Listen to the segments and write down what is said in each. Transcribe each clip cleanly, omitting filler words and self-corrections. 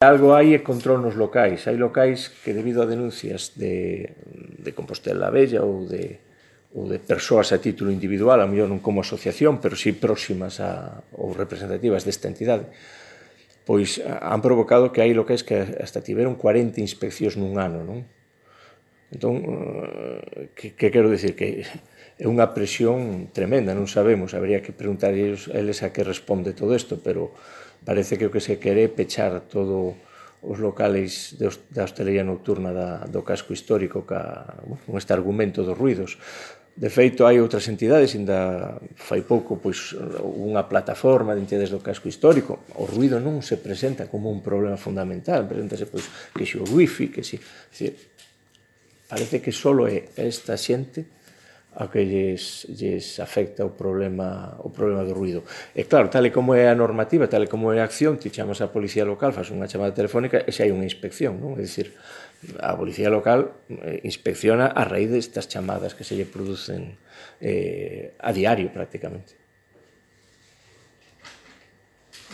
Algo hai é control nos locais. Hai locais que, debido a denuncias de Compostela Vella ou de persoas a título individual, a mellor non como asociación, pero sí próximas ou representativas desta entidade, pois han provocado que hai locais que hasta tiveron 40 inspeccións nun ano, non? Entón, que quero dicir? Que é unha presión tremenda, non sabemos, habría que preguntar a eles a que responde todo isto, pero parece que o que se quere é pechar todo os locales da hostelería nocturna do casco histórico con este argumento dos ruidos. De feito, hai outras entidades, ainda fai pouco, pois unha plataforma de entidades do casco histórico. O ruido non se presenta como un problema fundamental, presentase pois que se o wifi, que se... Parece que só é esta xente a que lles afecta o problema do ruido. E claro, tal e como é a normativa, tal e como é a acción, ti chamas á policía local, faz unha chamada telefónica e xa hai unha inspección, non? É dicir, a policía local inspecciona a raíz destas chamadas que se lle producen a diario prácticamente.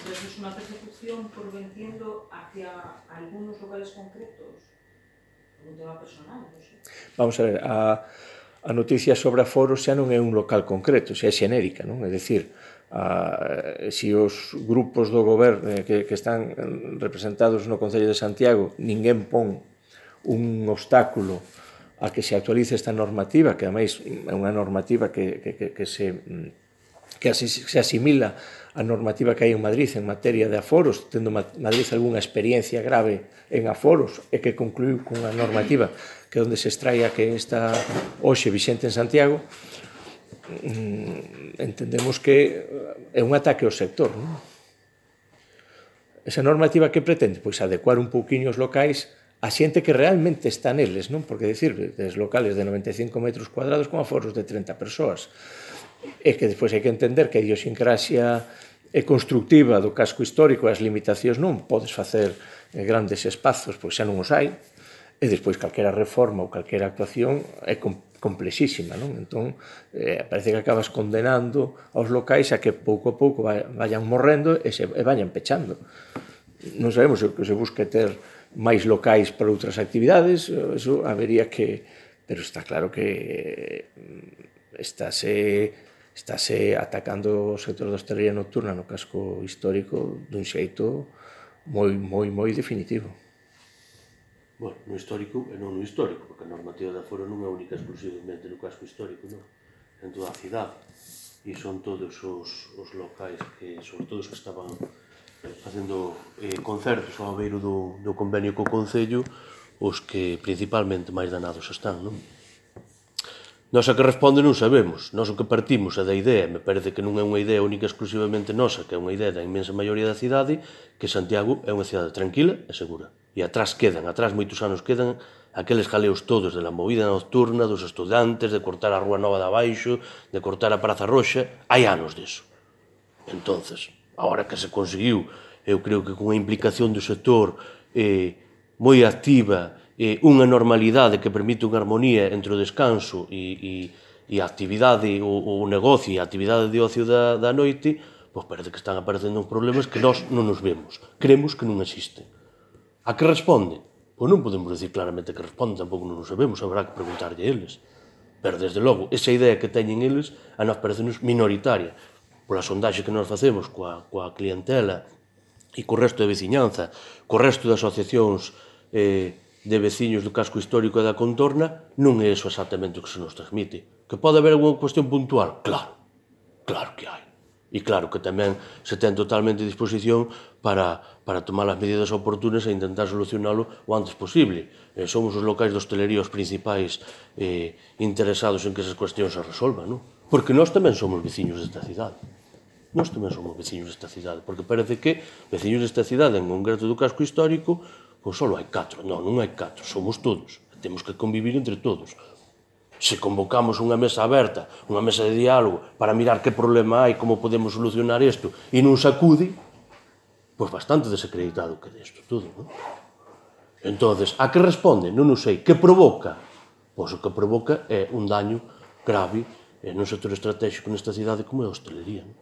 Entonces, es una persecución, por lo que entiendo, hacia algunos locales concretos, un tema personal, non sei. Vamos a ver, a noticia sobre aforos xa non é un local concreto, xa é xenérica, non? É dicir, se os grupos do goberno que están representados no Concello de Santiago ninguén pon un obstáculo a que se actualice esta normativa, que ademais é unha normativa que se asimila á normativa que hai en Madrid en materia de aforos, tendo Madrid algunha experiencia grave en aforos e que concluiu cunha normativa que é onde se extraia que está hoxe vixente en Santiago, entendemos que é un ataque ao sector, non? Esa normativa que pretende? Pois adecuar un pouquiño os locais a xente que realmente está neles, non? Porque, decir, des locales de 95 metros cuadrados con aforos de 30 persoas. E que despois hai que entender que a idiosincrasia constructiva do casco histórico e as limitacións non podes facer grandes espazos, pois xa non os hai, e despois calquera reforma ou calquera actuación é complexísima, non? Entón, parece que acabas condenando aos locais a que pouco a pouco vayan morrendo e vayan pechando. Non sabemos se o que se busca ter máis locais para outras actividades, eso habería que... Pero está claro que estáse atacando o sector da hostelería nocturna no casco histórico dun xeito moi definitivo. Bueno, no histórico e non no histórico, porque a normativa de aforo non é única exclusivamente no casco histórico, non? En toda a cidade. E son todos os locais que, sobre todo os que estaban facendo concertos ao beiro do convenio co Concello, os que principalmente máis danados están, non? Nos a que responde non sabemos. Nos o que partimos é da idea, me parece que non é unha idea única exclusivamente nosa, que é unha idea da inmensa maioría da cidade, que Santiago é unha cidade tranquila e segura. E atrás moitos anos quedan, aqueles jaleos todos de la movida nocturna, dos estudantes, de cortar a Rúa Nova de abaixo, de cortar a Praza Roxa, hai anos disso. Entonces, agora que se conseguiu, eu creo que con a implicación do sector moi activa, unha normalidade que permite unha armonía entre o descanso e a actividade, o negocio e a actividade de ocio da noite, pois parece que están aparecendo uns problemas que nós non nos vemos, creemos que non existen. A que responde? Pois non podemos decir claramente que responde, tampouco non o sabemos, habrá que preguntarlle a eles. Pero, desde logo, esa idea que teñen eles a nós parece-nos minoritaria. Pola sondaxe que nós facemos coa clientela e co resto da veciñanza, co resto de asociacións de veciños do casco histórico e da contorna, non é eso exactamente o que se nos transmite. Que pode haber alguna cuestión puntual? Claro, claro que hai. E claro que tamén se ten totalmente disposición para tomar as medidas oportunas e intentar solucionalo o antes posible. Somos os locais de hostelería os principais interesados en que esas cuestións se resolvan, non? Porque nós tamén somos veciños desta cidade. Nós tamén somos veciños desta cidade, porque parece que veciños desta cidade, en concreto do casco histórico, pois só hai 4. Non hai 4, somos todos. Temos que convivir entre todos. Se convocamos unha mesa aberta, unha mesa de diálogo, para mirar que problema hai, como podemos solucionar isto, e non se acude, pois bastante desacreditado queda isto todo, non? Entonces, a que responde? Non o sei. Que provoca? Pois o que provoca é un daño grave nun sector estratégico nesta cidade como é a hostelería, non?